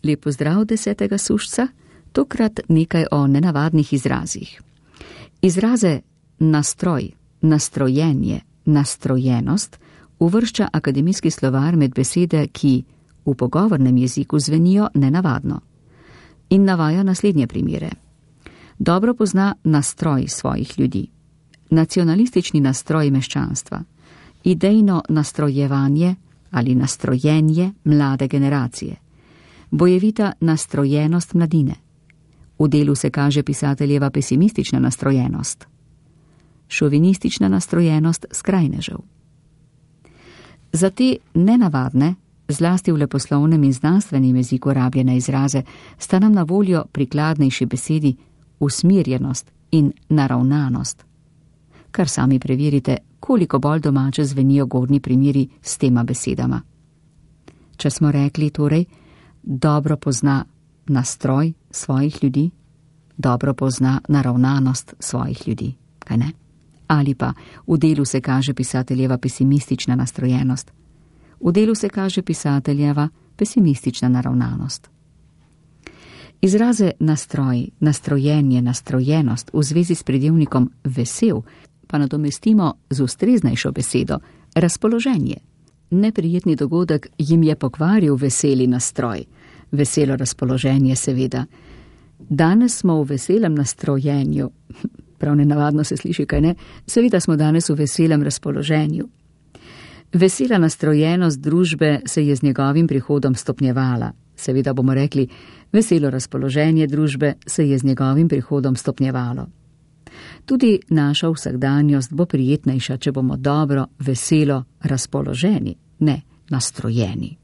Lep pozdrav 10. sušca, tokrat nekaj o nenavadnih izrazih. Izraze nastroj, nastrojenje, nastrojenost uvršča akademijski slovar med besede, ki v pogovornem jeziku zvenijo nenavadno. In navaja naslednje primere. Dobro pozna nastroj svojih ljudi, nacionalistični nastroj meščanstva, idejno nastrojevanje ali nastrojenje mlade generacije, bojevita nastrojenost mladine. V delu se kaže pisateljeva pesimistična nastrojenost, šovinistična nastrojenost skrajnežev. Za te nenavadne, zlasti v leposlovnem in znanstvenem jeziku rabljene izraze, sta nam na voljo prikladnejši besedi usmirjenost in naravnanost. Kar sami preverite, koliko bolj domače zvenijo gornji primeri s tema besedama. Če smo rekli torej, dobro pozna nastroj svojih ljudi, dobro pozna naravnanost svojih ljudi, kaj ne? Ali pa v delu se kaže pisateljeva pesimistična nastrojenost, v delu se kaže pisateljeva pesimistična naravnanost. Izraze nastroj, nastrojenje, nastrojenost v zvezi s pridevnikom vesel pa nadomestimo z ustreznejšo besedo razpoloženje. Neprijetni dogodek jim je pokvaril veseli nastroj, veselo razpoloženje seveda. Danes smo v veselem nastrojenju, prav nenavadno se sliši, kaj ne, seveda smo danes v veselem razpoloženju. Vesela nastrojenost družbe se je z njegovim prihodom stopnjevala, seveda bomo rekli, veselo razpoloženje družbe se je z njegovim prihodom stopnjevalo. Tudi naša vsakdanjost bo prijetnejša, če bomo dobro, veselo razpoloženi, ne nastrojeni.